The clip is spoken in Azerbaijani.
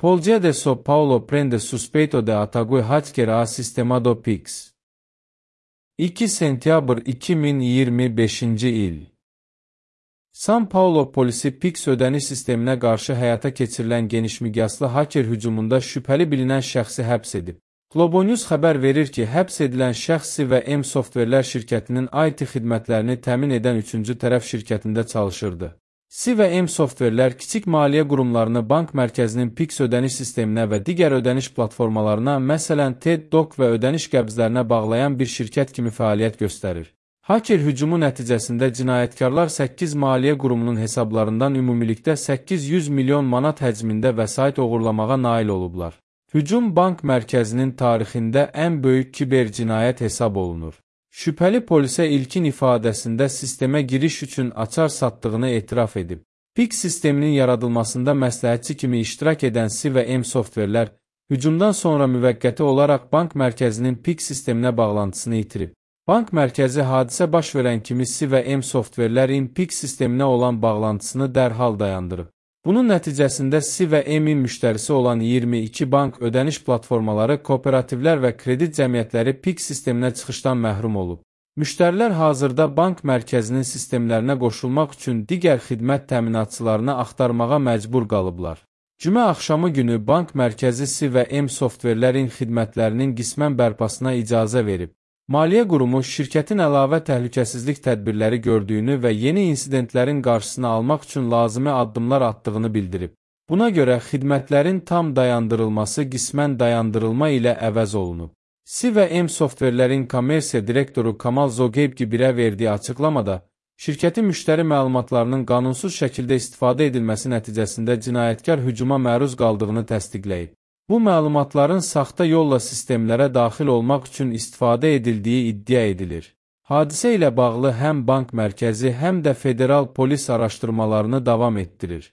Polícia de São Paulo prende suspeito de ataque hacker a sistema do Pix. 2 sentyabr 2025-ci il. São Paulo polisi Pix ödəniş sisteminə qarşı həyata keçirilən genişmiqyaslı hacker hücumunda şübhəli bilinən şəxsi həbs edib. Globo News xəbər verir ki, həbs edilən şəxs Si və M Softwarelər şirkətinin IT xidmətlərini təmin edən üçüncü tərəf şirkətində çalışırdı. Si və M Softwarelər kiçik maliyyə qurumlarını bank mərkəzinin Pix ödəniş sisteminə və digər ödəniş platformalarına, məsələn TED Doc və ödəniş qəbzlərinə bağlayan bir şirkət kimi fəaliyyət göstərir. Hacker hücumu nəticəsində cinayətkarlar 8 maliyyə qurumunun hesablarından ümumilikdə 800 milyon manat həcmində vəsait oğurlamağa nail olublar. Hücum bank mərkəzinin tarixində ən böyük kiber cinayət hesab olunur. Şübhəli polisə ilkin ifadəsində sistemə giriş üçün açar satdığını etiraf edib. Pix sisteminin yaradılmasında məsləhətçi kimi iştirak edən Si və M Softwarelər, hücumdan sonra müvəqqəti olaraq bank mərkəzinin Pix sisteminə bağlantısını itirib. Bank mərkəzi hadisə baş verən kimi Si və M Softwarelerin Pix sisteminə olan bağlantısını dərhal dayandırıb. Bunun nəticəsində Si və M-in müştərisi olan 22 bank ödəniş platformaları, kooperativlər və kredit cəmiyyətləri Pix sisteminə çıxışdan məhrum olub. Müştərilər hazırda bank mərkəzinin sistemlərinə qoşulmaq üçün digər xidmət təminatçılarını axtarmağa məcbur qalıblar. Cümə axşamı günü bank mərkəzi Si və M Softwarelerin xidmətlərinin qismən bərpasına icazə verib. Maliyyə qurumu şirkətin əlavə təhlükəsizlik tədbirləri gördüyünü və yeni insidentlərin qarşısını almaq üçün lazımi addımlar atdığını bildirib. Buna görə xidmətlərin tam dayandırılması qismən dayandırılma ilə əvəz olunub. Si və M Softwarelerin kommersiya direktoru Kamal Zoqeybgibirə verdiyi açıqlamada, şirkətin müştəri məlumatlarının qanunsuz şəkildə istifadə edilməsi nəticəsində cinayətkar hücuma məruz qaldığını təsdiqləyib. Bu məlumatların saxta yolla sistemlərə daxil olmaq üçün istifadə edildiyi iddia edilir. Hadisə ilə bağlı həm bank mərkəzi, həm də federal polis araşdırmalarını davam etdirir.